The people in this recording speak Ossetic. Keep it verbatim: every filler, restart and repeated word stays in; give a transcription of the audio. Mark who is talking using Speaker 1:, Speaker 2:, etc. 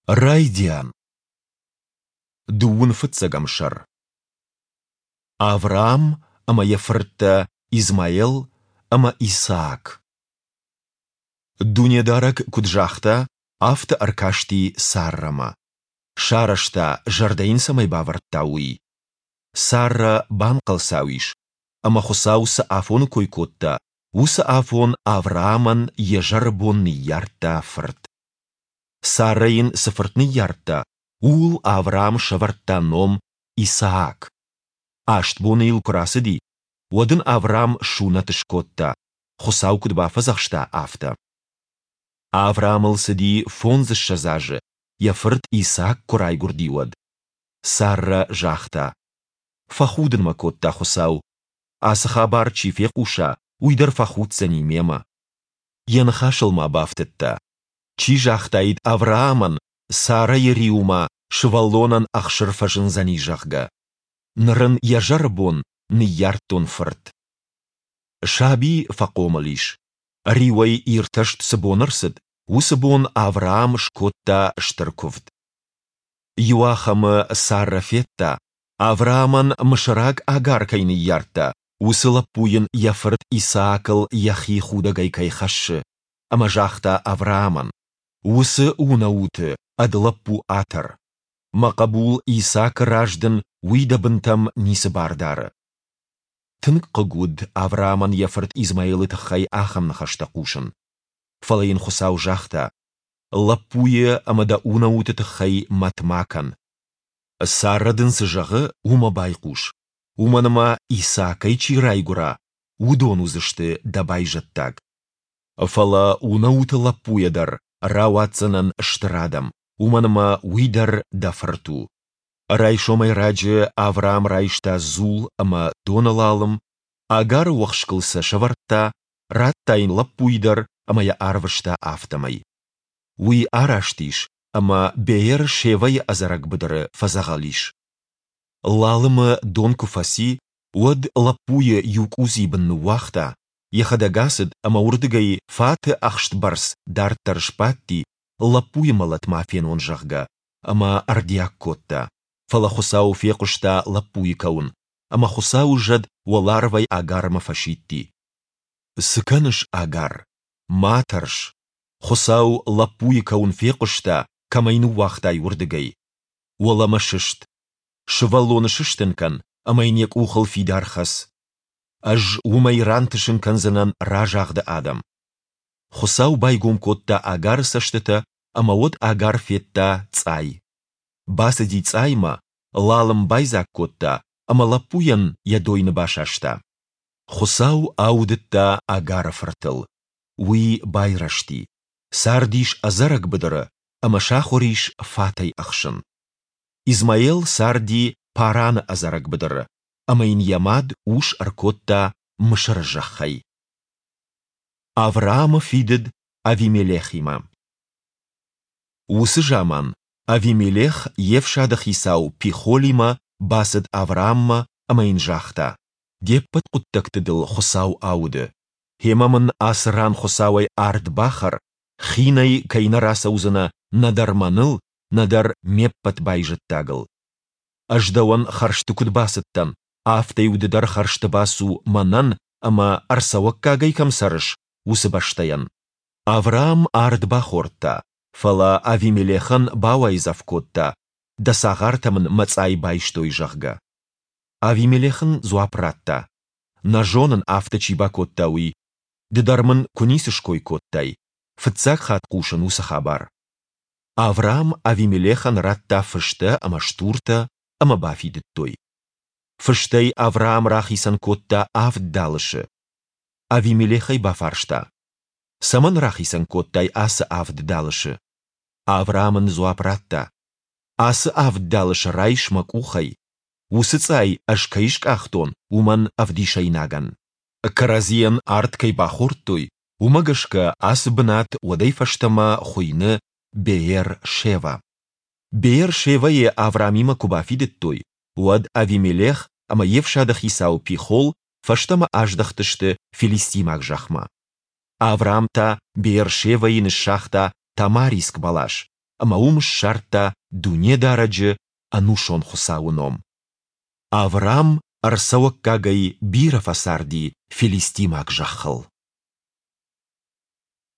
Speaker 1: Райдиан. Дыууын фыццӕгӕм сӕр. Авраам ӕмӕ йӕ фырттӕ Измаел ӕмӕ Исаак. Дунедарӕг куыд загъта, афтӕ ӕркасти Саррӕмӕ. Сарӕзта, зӕрдӕ йын цӕмӕй бавӕрдта, уый. Саррӕ банхъӕлцау ис, ӕмӕ Хуыцау цы афоны кой кодта, уыцы афон Авраамӕн йӕ зӕры бон ныййардта фырт. Саррӕ йын цы фырт ныййардта, ууыл Авраам сӕвӕрдта ном Исаак. Аст боны йыл куы рацыди, уӕд ын Авраам сунӕт скодта, Хуыцау куыд бафӕдзӕхста, афтӕ. Авраамыл цыди фондзыссӕдз азы, йӕ фырт Исаак куы райгуырди, уӕд. Саррӕ загъта: Фӕхудын мӕ кодта Хуыцау. Ацы хабар чи фехъуса, уый дӕр фӕхуддзӕни мемӕ. Йӕ ныхасыл ма бафтыдта: Чи загътаид Авраамӕн, Саррӕйы риуы ма сывӕллонӕн ӕхсыр фӕзындзӕни, зӕгъгӕ. Ныр ын йӕ зӕры бон ныййардтон фырт. Саби фӕхъомыл ис. Риуӕй иртӕст цы бон ӕрцыд, уыцы бон Авраам скодта стыр куывд. Иуахӕмы Саррӕ федта, Авраамӕн мысыраг Агар кӕй ныййардта, уыцы лӕппу йын йӕ фырт Исаакыл йӕхи худӕгӕй кӕй хӕссы, ӕмӕ загъта Авраамӕн: Уыцы унӕуты ӕд лӕппу атӕр. Мӕ хъӕбул Исаакы раз дын уый дӕ бынтӕм ницы бар дары. Тынг хъыг уыд Авраамӕн йӕ фырт Измаилы тыххӕй ахӕм ныхӕстӕ хъусын. Фӕлӕ йын Хуыцау загъта: Лӕппуйы ӕмӕ дӕ унӕуты тыххӕй мӕт ма кӕн. Саррӕ дын цы зӕгъы, уымӕ байхъус, уымӕн ӕмӕ Исаакӕй чи райгуыра, уыдон уыдзысты дӕ байзӕддаг. Фӕлӕ унӕуты лӕппуйӕ дӕр рауадздзынӕн стыр адӕм, уымӕн ӕмӕ уый дӕр дӕ фырт у. Райсомӕй раджы Авраам райста дзул ӕмӕ доны лалым, Агары уӕхскыл сӕ сӕвӕрдта, радта йын лӕппуйы дӕр ӕмӕ йӕ арвыста афтӕмӕй. Уый араст ис ӕмӕ Беер-Шевӕйы ӕдзӕрӕг быдыры фӕдзӕгъӕл ис. Лалымы дон куы фӕци, уӕд лӕппуйы иу къудзийы бын ныууагъта, йӕхӕдӕг ацыд ӕмӕ уырдыгӕй фаты ӕхстбӕрц дарддӕр сбадти, лӕппуйы мӕлӕт ма фенон, зӕгъгӕ, ӕмӕ ӕрдиаг кодта. Фӕлӕ Хуыцау фехъуыста лӕппуйы кӕуын, ӕмӕ Хуыцауы зӕд уӕларвӕй Агармӕ фӕсидти: Цы кӕныс, Агар? Ма тӕрс. Хуыцау лӕппуйы кӕуын фехъуыста, кӕм ӕй ныууагътай, уырдыгӕй. Уӕлӕмӕ сыст. Сывӕллоны сыстын кӕн ӕмӕ йын йӕ къухыл фидар хӕц. Ӕз уымӕй рантысын кӕндзынӕн разагъды адӕм. Хуыцау байгом кодта Агары цӕстытӕ, ӕмӕ уӕд Агар федта цъай. Бацыди цъаймӕ, лалым байдзаг кодта ӕмӕ лӕппуйӕн йӕ дойны басаста. Хуыцау аудыдта Агары фыртыл. Уый байрӕзти, цардис ӕдзӕрӕг быдыры ӕмӕ сахуыр ис фатӕй ӕхсын. Измаел царди Параны ӕдзӕрӕг быдыры, ӕмӕ йын йӕ мад ус ӕркодта Мысыры зӕххӕй. Авраамы фидыд Авимелехимӕ. Уыцы заман Авимелех йе фсады хицау Пихолимӕ бацыд Аврааммӕ ӕмӕ йын загъта: Де ппӕт хъуыддӕгты дыл Хуыцау ауды. Гъемӕ мын ацы ран Хуыцауӕй ард бахӕр, хинӕй кӕй нӕ рацӕудзынӕ нӕдӕр мӕныл, нӕдӕр ме ппӕт байзӕддагыл. Ӕз дӕуӕн хӕрзты куыд бацыдтӕн, афтӕ-иу ды дӕр хӕрзты бацу мӕнӕн ӕмӕ, ӕрцӕуӕггагӕй кӕм цӕрыс, уыцы бӕстӕйӕн. Авраам ард бахордта, фӕлӕ Авимелехӕн бауайдзӕф кодта, дӕ цагъартӕ мын мӕ цъай байстой, зӕгъгӕ. Авимелех ын дзуапп радта: Нӕ зонын, афтӕ чи бакодта, уый. Ды дӕр мын куы ницы ской кодтай. Фыццаг хатт хъусын уыцы хабар. Авраам Авимелехӕн радта фыстӕ ӕмӕ стуртӕ, ӕмӕ бафидыдтой. Фыстӕй Авраам рахицӕн кодта авд далысы. Авимелех ӕй бафарста: Цӕмӕн рахицӕн кодтай ацы авд далысы? Авраам ын дзуапп радта: Ацы авд далысы райс мӕ къухӕй. Уыцы цъай ӕз кӕй скъахтон, уымӕн ӕвдисӕйнагӕн. Кӕрӕдзийӕн ард кӕй бахордтой, уымӕ гӕсгӕ ацы бынат уӕдӕй фӕстӕмӕ хуыйны Беер-Шева. Беер-Шевӕйы Авраамимӕ куы бафидыдтой, уӕд Авимелех ӕмӕ йе фсады хицау Пихол фӕстӕмӕ аздӕхтысты филистимаг зӕхмӕ. Авраам та Беер-Шевӕйы ныссагъта тамариск бӕлас. ӕмӕ уым ссардта Дунедарӕджы, Ӕнусон Хуыцауы ном. Аврам ӕрцӕуӕггагӕй бирӕ фӕцарди филистимаг зӕххыл.